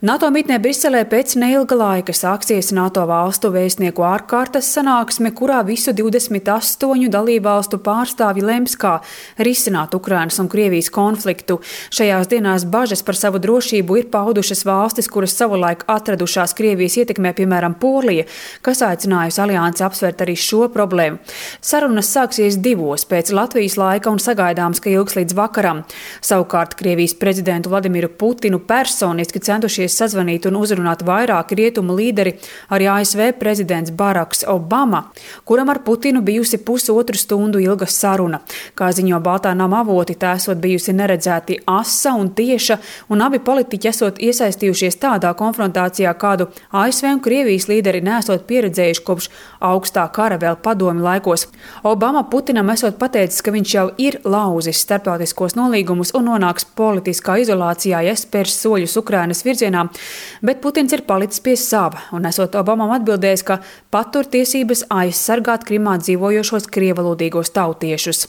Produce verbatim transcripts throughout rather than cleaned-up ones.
NATO mitnē Briselē pēc neilga laika sāksies NATO valstu vēstnieku ārkārtas sanāksme, kurā visu divdesmit astoņu dalībvalstu pārstāvji lems, kā risināt Ukrainas un Krievijas konfliktu. Šajās dienās bažas par savu drošību ir paudušas valstis, kuras savulaik atradušās Krievijas ietekmē, piemēram, Polija, kas aicinājusi aliansi apsvērt arī šo problēmu. Sarunas sāksies divos pēc Latvijas laika un sagaidāms, ka ilgs līdz vakaram. Savukārt Krievijas prezidentu Vladimiru Putinu personiski centušies sazvanīt un uzrunāt vairāki rietumu līderi, arī A S V prezidents Baraks Obama, kuram ar Putinu bijusi pusotru stundu ilga saruna. Kā ziņo Baltā nama avoti, tā esot bijusi neredzēti asa un tieša, un abi politiķi esot iesaistījušies tādā konfrontācijā, kādu A S V un Krievijas līderi nesot pieredzējuši kopš augstā kara vēl padomi laikos. Obama Putinam esot pateicis, ka viņš jau ir lauzis starptautiskos nolīgumus un nonāks politiskā izolācijā, ja spērs soļus Ukrainas virzienā, bet Putins ir palicis pie sava un esot Obamam atbildējis, ka patur tiesības aizsargāt Krimā dzīvojošos krievalodīgos tautiešus.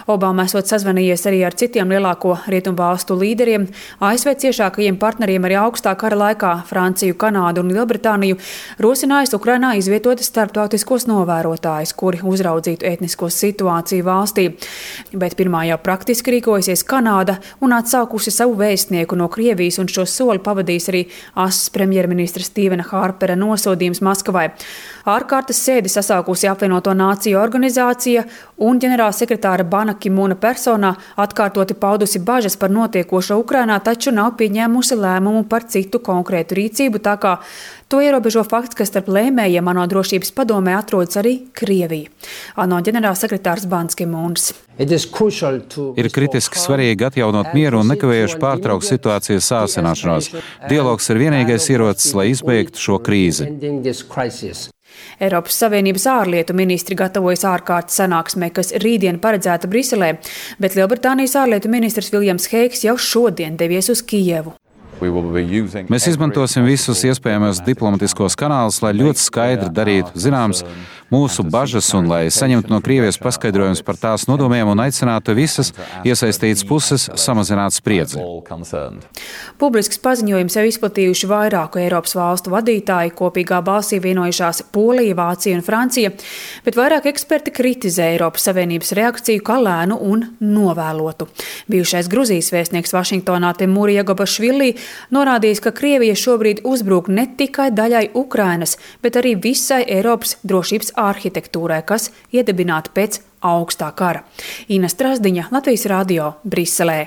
Obama esot sazvanījies arī ar citiem lielāko rietumu valstu līderiem, A S V ciešākajiem partneriem arī augstā kara laikā Franciju, Kanādu un Lielbritāniju, rosinājis Ukrainā izvietot starptautiskos novērotājus, kuri uzraudzītu etnisko situāciju valstī. Bet pirmā jau praktiski rīkojasies Kanāda un atsaukusi savu vēstnieku no Krievijas, un šo soli pavadīs arī A S V premjerministra Stīvena Hārpera nosodījums Maskavai. Ārkārtas sēdi sasaukusi apvienoto nāciju organizācija un ģenerālsekretāra Bana Ki-mūna personā atkārtoti paudusi bažas par notiekošo Ukrainā, taču nav pieņēmusi lēmumu par citu konkrētu rīcību, tā kā to ierobežo fakts, ka starp lēmējiem ANO drošības padomē atrodas arī Krievija. ANO ģenerālsekretārs Bans Ki-mūns. Ir kritiski svarīgi atjaunot mieru un nekavējuši pārtraukt situācijas sāsināšanos. Dialogs ir vienīgais ierocis, lai izbeigtu šo krīzi. Eiropas Savienības ārlietu ministri gatavojas ārkārtas sanāksmē, kas rītdien paredzēta Briselē, bet Lielbritānijas ārlietu ministrs Viljams Heigs jau šodien devies uz Kijevu. Mēs izmantosim visus iespējamos diplomatiskos kanālus, lai ļoti skaidri darītu zināms mūsu bažas un lai saņemtu no Krievijas paskaidrojumus par tās nodomiem un aicinātu visas iesaistītas puses samazināt spriedzi. Publisks paziņojums jau izplatījuši vairāku Eiropas valstu vadītāji, kopīgā balsī vienojušās Polija, Vācija un Francija, bet vairāk eksperti kritizē Eiropas Savienības reakciju kā lēnu un novēlotu. Bijušais Gruzijas vēstnieks Vašingtonā Temur Jegobašvili norādījis, ka Krievija šobrīd uzbruk ne tikai daļai Ukrainas, bet arī visai Eiropas drošības arhitektūrai, kas iedibināta pēc augstā kara. Ina Strasdiņa, Latvijas radio, Briselē.